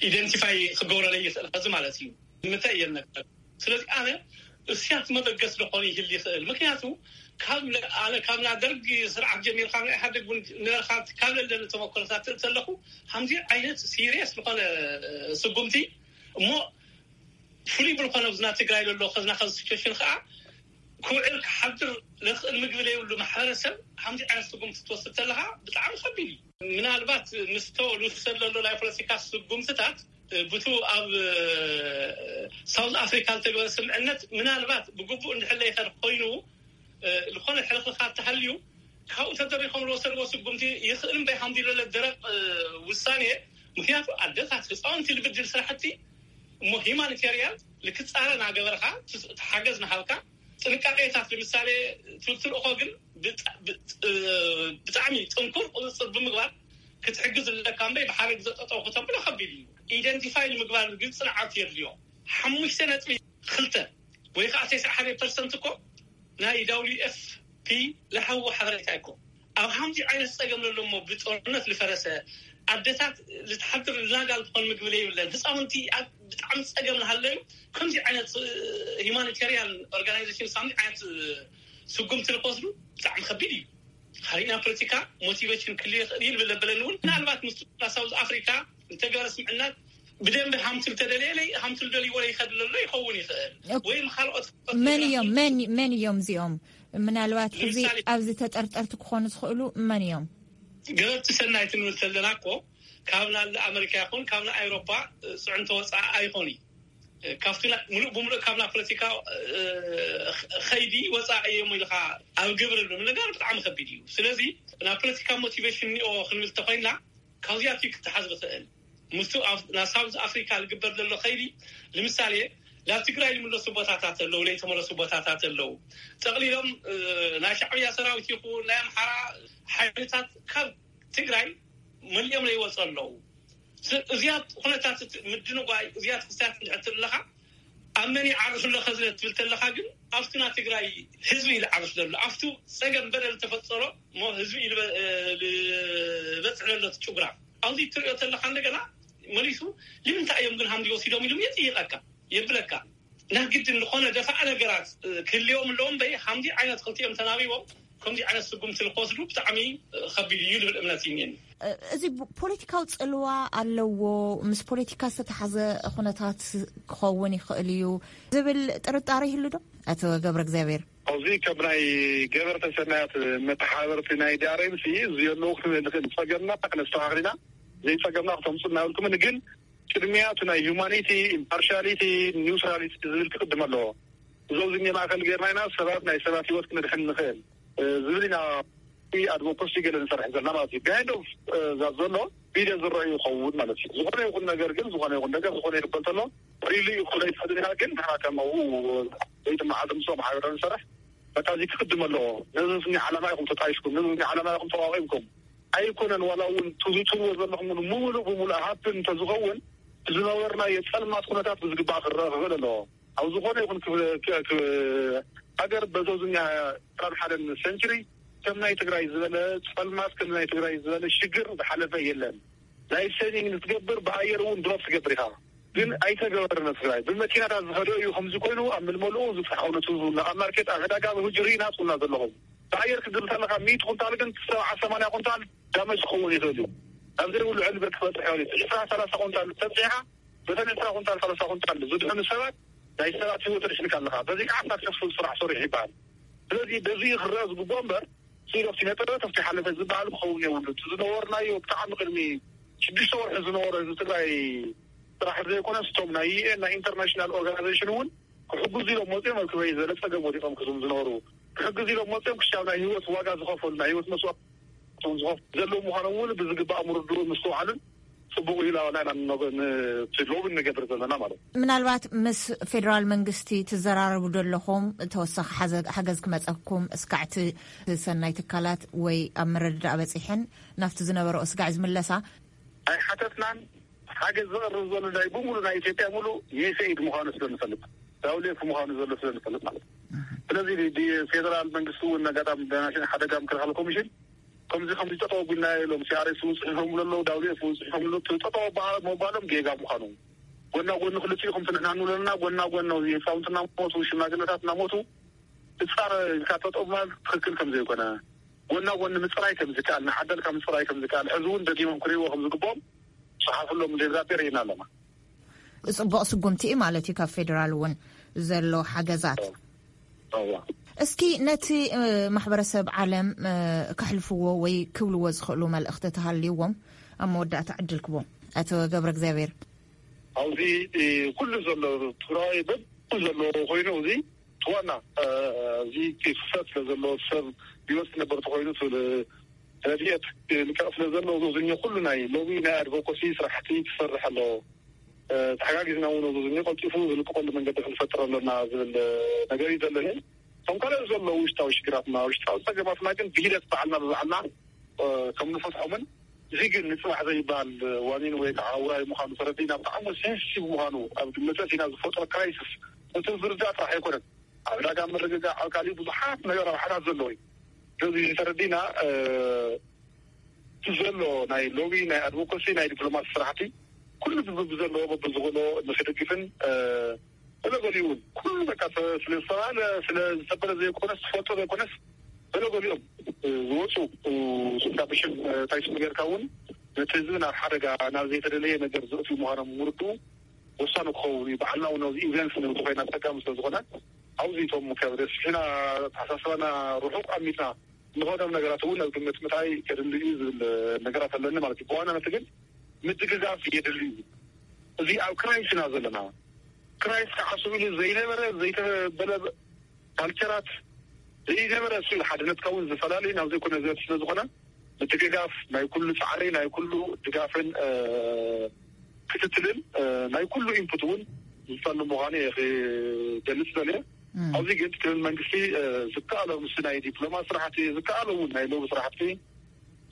ኢደንቲፋይ ክገብረለይ ይኽእል ከዚ ማለት እዩ ግምተ እየ ነግረክ። ስለዚ ኣነ እስያት መበገስ ዝኾነ ይህል ይኽእል ምክንያቱ ካብ ኣነ ካብ ናይ ደርግ ስርዓት ጀሚርካ ናይ ኢህኣደግ እውን ነበርካ ካብ ለለኒ ተመክሮታት ተለኹ ከምዚ ዓይነት ሲሪየስ ዝኾነ ስጉምቲ እሞ ፍሉይ ብልኾነ ኣብዚ ናይ ትግራይ ዘሎ ከዝና ከዚ ሲቹዌሽን ከዓ ክውዕል ክሓድር ለኽእል ምግቢ ለይብሉ ማሕበረሰብ ከምዚ ዓይነት ስጉምቲ ትወስድ ተለካ ብጣዕሚ ከቢድ እዩ። ምናልባት ምስቶ ልውሰድ ዘሎ ናይ ፖለቲካ ስጉምትታት ብቱ ኣብ ሳውዝ ኣፍሪካ ዝተገበረ ስምዕነት ምናልባት ብግቡእ እንድሕር ለይኸድ ኮይኑ ዝኾነ ሕልኽልኻት ተሃልዩ ካብኡ ተደሪኾም ዝወሰድዎ ስጉምቲ ይኽእል እምበይ ከምዚ ለለ ደረቕ ውሳኔ ምክንያቱ ኣደታት ህፃውንቲ ልብድል ስራሕቲ እሞ ሂማኒቴርያን ልክፃረ ናገበርካ ትሓገዝ ናሃብካ ጥንቃቄታት ንምሳሌ ትብትልእኮ ግን ብጣዕሚ ጥንኩር ቁፅፅር ብምግባር ክትሕግዝ ኣለካ እምበይ ብሓደ ግዘ ጠጠው ክተብሎ ከቢድ እዩ። ኢደንቲፋይ ንምግባር ግን ፅንዓት የድልዮ። ሓሙሽተ ነጥቢ ክልተ ወይ ከዓ ተስዓ ሓደ ፐርሰንት እኮ ናይ ዳብሊዩ ኤፍ ፒ ለሃዎ ሓበሬታ እኮ ኣብ ሓምዚ ዓይነት ፀገም ለሎ እሞ ብጦርነት ልፈረሰ ኣደታት ልትሓድር ልናጋ ልትኾን ምግቢ ለይብለን ህፃውንቲ ኣብ ብጣዕሚ ፀገም ልሃለዩ ከምዚ ዓይነት ሂማኒቴሪያን ኦርጋናይዜሽን ሳምዚ ዓይነት ስጉምቲ ልክወስዱ ብጣዕሚ ከቢድ እዩ። ካሊእ ናይ ፖለቲካ ሞቲቬሽን ክልየ ይኽእል እዩ ልብል ለበለኒ እውን ምናልባት ምስ ሳውዝ ኣፍሪካ እንተገበረ ስምዕነት ብደንቢ ሃምትል ተደለየ ለይ ሃምትል ደልይዎ ለይኸድ ለሎ ይኸውን ይኽእል ወይ ካልኦት መን እዮም መን መን እዮም እዚኦም? ምናልባት ሕዚ ኣብዚ ተጠርጠርቲ ክኾኑ ዝኽእሉ መን እዮም? ገበርቲ ሰናይ ትንብል ተለና እኮ ካብ ናለ ኣመሪካ ይኹን ካብ ናይ ኣውሮፓ ፅዕንቶ ወፃኢ ኣይኾኑ ካብቲ ሙሉእ ብምሉእ ካብ ናይ ፖለቲካ ኸይዲ ወፃኢ እዮም ኢልካ ኣብ ግብሪ ሉ ነገር ብጣዕሚ ከቢድ እዩ። ስለዚ ናይ ፖለቲካ ሞቲቬሽን ኒኦ ክንብል ተኮይና ካብዚኣት እዩ ክተሓዝ ዝኽእል ምስቱ ናብ ሳውዝ ኣፍሪካ ዝግበር ዘሎ ኸይዲ ንምሳሌ ናብ ትግራይ ዝምለሱ ቦታታት ኣለዉ ለይተመለሱ ቦታታት ኣለዉ ጠቕሊሎም ናይ ሻዕብያ ሰራዊት ይኹን ናይ ኣምሓራ ሓይልታት ካብ ትግራይ መሊኦም ለይወፁ ኣለዉ። እዚኣ ኩነታት ምድንጓይ እዚኣ ክስታት እንድሕር ኣለካ ኣብ መን ይዓርፍ ኣሎ ከዚ ትብል ተለካ ግን ኣብቲ ናይ ትግራይ ህዝቢ እዩ ዝዓርፍ ዘሎ ኣብቱ ፀገም በደል ተፈፀሮ እሞ ህዝቢ እዩ ዝበፅሕ ዘሎ እቲ ጭጉራ ኣብዚ ትሪኦ ተለካ እንደገና መሊሱ ንምንታይ እዮም ግን ሃምዚ ወሲዶም ኢሉ የፅይቀካ የብለካ ናይ ግድን ዝኾነ ደፋዕ ነገራት ክህልዎም ኣለዎም በይ ሃምዚ ዓይነት ክልቲኦም ተናቢቦም ከምዚ ዓይነት ስጉምቲ ንክወስዱ ብጣዕሚ ከቢድ እዩ ልብል እምነት እዩ እኒአኒ። እዚ ፖለቲካዊ ፅልዋ ኣለዎ ምስ ፖለቲካ ዝተተሓዘ ኩነታት ክኸውን ይኽእል እዩ ዝብል ጥርጣረ ይህሉ ዶ? ኣቶ ገብረ እግዚኣብሔር ኣብዚ ከም ናይ ገበርተ ሰናያት መተሓበርቲ ናይ ዲኣርኤምሲ እዚ ኣለዉ ክንብል ንኽእል ፀገምና ክነስተኻኽል ኢና ዘይፀገምና ክተምፁ እናበልኩምን ግን ቅድሚያ እቲ ናይ ሂዩማኒቲ፣ ኢምፓርሻሊቲ፣ ኒውትራሊቲ ዝብል ክቕድም ኣለዎ። እዚ ኣብዚ ማእከል ጌርና ኢና ሰባት ናይ ሰባት ህይወት ክነድሕን ንኽእል ዝብል ኢና። ኣድቮኮሲ ገለ ንሰርሕ ዘለና ማለት እዩ። ቢሃይንድ ኦፍ ዛት ዘሎ ቪድዮ ዝረኣዩ ይኸውን ማለት እዩ። ዝኾነ ይኹን ነገር ግን፣ ዝኾነ ይኹን ነገር፣ ዝኾነ ይበል ተሎ ሪሊ ይኹን ኣይትፈልጥን ኢኻ። ግን ንሕና ከም ኣብኡ ዘይትመዓልቲ ምስኦም ሓቢርና ንሰርሕ። በቃ እዚ ክቕድም ኣለዎ። ነዚ ስኒ ዓላማ ኢኹም ተጣይሽኩም፣ ነዚ ስኒ ዓላማ ኢኹም ተቋቒምኩም ኣይኮነን። ዋላ እውን ትዝትዎ ዘለኹም እውን ምሉእ ብምሉእ ሃብትን እንተዝኸውን፣ ዝነበርናዮ ጸልማት ኩነታት ብዝግባእ ክረአ ክኽእል ኣለዎ። ኣብ ዝኾነ ይኹን ክብ- ክ- ክ- ሃገር በዞዝኛ ዕስራን ሓደን ሴንቸሪ ከም ናይ ትግራይ ዝበለ ጸልማት፣ ከም ናይ ትግራይ ዝበለ ሽግር ዝሓለፈ የለን። ናይ ሴቪንግ ንትገብር ብኣየር እውን ድሮፕ ትገብር ኢኻ። ግን ኣይተገበረን ኣብ ትግራይ። ብመኪናታት ዝኸደ እዩ ከምዚ ኮይኑ ኣብ ምልመልኡ ዝብፃሕ እውነቱ ዝብላ ኣብ ማርኬት ኣብ ዕዳጋ ብህጂ ርኢና ትብልና ዘለኹም። ብኣየር ክትብል ከለኻ ሚእቲ ኩንታል ግን ሰብዓ ሰማንያ ኩንታል ዳመጅ ክኸውን ይኽእል እዩ። ኣብ ዘይብሉ ዕልብር ክበፅሕ ይኽእል እዩ። ዕስራ ሰላሳ ኩንታል ተብፂሓ በተን ዕስራ ኩንታል ሰላሳ ኩንታል ዝድሕኑ ሰባት ናይ ሰባት ህይወት ተድሕንካ ኣለኻ። በዚ ከዓ ሳክሰስፉል ስራሕ ሰሪሑ ይበሃል። ስለዚ በዚ ክረአ ዝግብኦ እምበር ስኢል ኦፍ ስነ ጥበብ ኣብቲ ሓለፈ ዝበሃል ክኸውን የብሉ። እቲ ዝነበርናዮ ብጣዕሚ ቅድሚ ሽዱሽተ ወርሒ ዝነበረ ህዝቢ ትግራይ ጥራሕ ዘይኮነስ እቶም ናይ ዩ ኤን ናይ ኢንተርናሽናል ኦርጋናይዜሽን እውን ክሕግዙ ኢሎም መፅኦም ኣብ ክበይ ዝበለ ፀገም ወዲቖም ክዝም ዝነበሩ ክሕግዙ ኢሎም መፅኦም ክሻብ ናይ ህይወት ዋጋ ዝኸፈሉ ናይ ህይወት መስዋእቲ ዝኸፍሉ ዘለዉ ምዃኖም እውን ብዝግባእ ምርድኡ ምስትውዓልን ፅቡቕ ኢላዋና ኢና ንነገ- ን- እቲ ሎቢ እንገብር ዘለና ማለት እዩ። ምናልባት ምስ ፌደራል መንግስቲ ትዘራረቡ ዶ ኣለኹም? ተወሳኺ ሓዘ- ሓገዝ ክመፀኩም እስካዕቲ ሰናይ ትካላት ወይ ኣብ ምርድዳእ በፂሐን ናብቲ ዝነበረኦ ስጋዕ ዝምለሳ? ኣይሓተትናን። ሓገዝ ዘቕርብ ዘሎ ናይ ብምሉ ናይ ኢትዮጵያ ሙሉ ዩኤስኤድ ምዃኑ ስለ ንፈልጥ፣ ዳውሌፍ ምዃኑ ዘሎ ስለ ንፈልጥ ማለት እዩ። ስለዚ ዲ- ፌደራል መንግስቲ እውን ኣጋጣሚ ብናሽን ሓደጋ ምክልኻል ኮሚሽን ከምዚ ከምዚ ጠጠው ኣቢልና ኢሎም ሲኣርኤስ እውን ፅሒፎም ኣለዉ፣ ዳውሌፍ እውን ፅሒፎም ኣለዉ። እቲ ጠጠው ኣባ- ምባሎም ጌጋ ምዃኑ፣ ጎና ጎኒ ክልቲኡ ከምቲ ንሕና ንብሎ ዘለና ጎና ጎኒ ኣብዚ ህፃውንቲ እናሞቱ ሽማግለታት እናሞቱ ብፃረ ኢልካ ጠጠው ምባል ትኽክል ከም ዘይኮነ፣ ጎና ጎኒ ምፅራይ ከም ዝከኣል፣ ንዓደልካ ምፅራይ ከም ዝከኣል ሕዚ እውን ደጊሞም ክርእይዎ ከም ዝግብኦም ዝፀሓፍሎም ደብዳቤ ርኢና ኣለና። ፅቡቕ ስጉምቲ እዩ ማለት እዩ ካብ ፌደራል እውን ዘሎ ሓገዛት። እዋ። እስኪ ነቲ ማሕበረሰብ ዓለም ከሕልፍዎ ወይ ክብልዎ ዝኽእሉ መልእኽቲ ተሃልይዎም ኣብ መወዳእታ ዕድል ክቦም። ኣቶ ገብረ እግዚኣብሔር። ኣብዚ ኩሉ ዘሎ ትግራይ በብኩሉ ዘለዎ ኮይኑ እዚ እቲ ዋና እዚ ክፍተት ስለ ዘሎ ሰብ ህይወት ክነበር ተኮይኑ ረድኤት ልቀቕ ስለ ዘሎ ዞዝኛ ኩሉ ናይ ሎቢ ናይ ኣድቮኮሲ ስራሕቲ ክሰርሕ ኣለዎ። ተሓጋጊዝና እውን ዞዝኛ ቀልጢፉ ዝልቀቐሉ መንገዲ ክንፈጥር ኣለና ዝብል ነገር እዩ ዘለኒ። እቶም ካልኦት ዘለዉ ውሽጣዊ ሽግራትና ውሽጣዊ ፀገማትና ግን ብሂደት ባዕልና ብባዕልና ከም ንፈትሖምን እዚ ግን ንፅባሕ ዘይበሃል ዋኒን ወይ ከዓ ውራይ ምዃኑ ተረዲእና ብጣዕሚ ሴንሲቲቭ ምዃኑ ኣብ ግምት ኣእቲና ዝፈጥሮ ክራይሲስ እቲ ዝርዳእ ጥራሕ ኣይኮነን። ኣብ ዕዳጋ ምርግጋዕ ኣብ ካሊእ ብዙሓት ነገር ኣብ ሓታት ዘለዎ እዩ። ስለዚ ተረዲእና እቲ ዘሎ ናይ ሎቢ ናይ ኣድቮኮሲ ናይ ዲፕሎማሲ ስራሕቲ ኩሉ ብዘለዎ በብዝኽእሎ ንክድግፍን ገለገሊኡ እውን ኩሉ በቃ ስለ ዝተባለ ስለ ዝተበለ ዘይኮነስ ዝፈልጦ ዘይኮነስ ገለገሊኦም ዝወፁ ስታብሽን ታይስም ጌርካ እውን ነቲ ህዝቢ ናብ ሓደጋ ናብ ዘይተደለየ ነገር ዘእትዩ ምዃኖም ምርድኡ ወሳኒ ክኸውን እዩ። ባዕልና እውን ኣብዚ ኢቨንት ንብዚ ኮይና ፀጋሚ ስለ ዝኾነ ኣብዚ እቶም ከብደስሕና ተሓሳስባና ርሑቕ ኣሚትና ዝኾኖም ነገራት እውን ኣብ ግምት ምታይ ከድሊ እዩ ዝብል ነገራት ኣለኒ ማለት እዩ። ብዋናነት ግን ምድግጋፍ የድሊ እዩ። እዚ ኣብ ክራይስ ኢና ዘለና። ክራይስ ከዓ ስብሉ ዘይነበረ ዘይተበለ ካልቸራት ዘይነበረ እሱ ሓድነትካ እውን ዝፈላለዩ ናብ ዘይኮነ ዘት ስለ ዝኾነ ምድግጋፍ ናይ ኩሉ ፃዕሪ ናይ ኩሉ ድጋፍን ክትትልን ናይ ኩሉ ኢንፑት እውን ዝፀሉ ምዃኑ እየ ክገልፅ ዘለ። ኣብዚ ግን ክልል መንግስቲ ዝከኣሎ ምስ ናይ ዲፕሎማ ስራሕቲ ዝከኣሎ እውን ናይ ሎቢ ስራሕቲ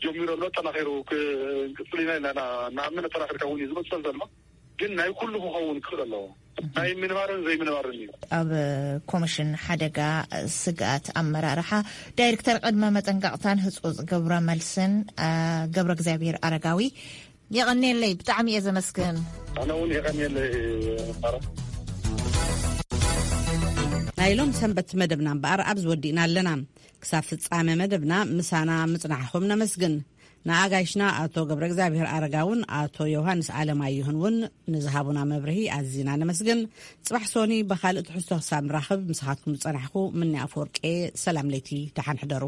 ጀሚሩ ኣሎ። ኣጠናኺሩ ክንቅፅል ኢና ኢልና ንኣምን። ኣጠናኺርካ እውን እዩ ዝመፅል ዘሎ። ግን ናይ ኩሉ ክኸውን ክኽእል ኣለዎ። ናይ ምንባርን ዘይምንባርን እዩ። ኣብ ኮሚሽን ሓደጋ ስግኣት ኣመራርሓ ዳይሬክተር ቅድመ መጠንቀቕታን ህፁፅ ግብረ መልስን ገብረ እግዚኣብሔር ኣረጋዊ። የቐንየለይ፣ ብጣዕሚ እየ ዘመስግን። ኣነ እውን የቐንየለይ። ናይ ሎም ሰንበት መደብና እምበኣር ኣብዚ ወዲእና ኣለና። ክሳብ ፍጻመ መደብና ምሳና ምጽናሕኹም ነመስግን። ንኣጋይሽና ኣቶ ገብረ እግዚኣብሔር ኣረጋውን ኣቶ ዮሃንስ ኣለማየሁን እውን ንዝሃቡና መብርሂ ኣዚና ነመስግን። ጽባሕ ሶኒ ብኻልእ ትሕዝቶ ክሳብ ንራኽብ ምሳኻትኩም ዝጸናሕኩ ምኒ ኣፈወርቄ፣ ሰላም ለይቲ፣ ደሓን ሕደሩ።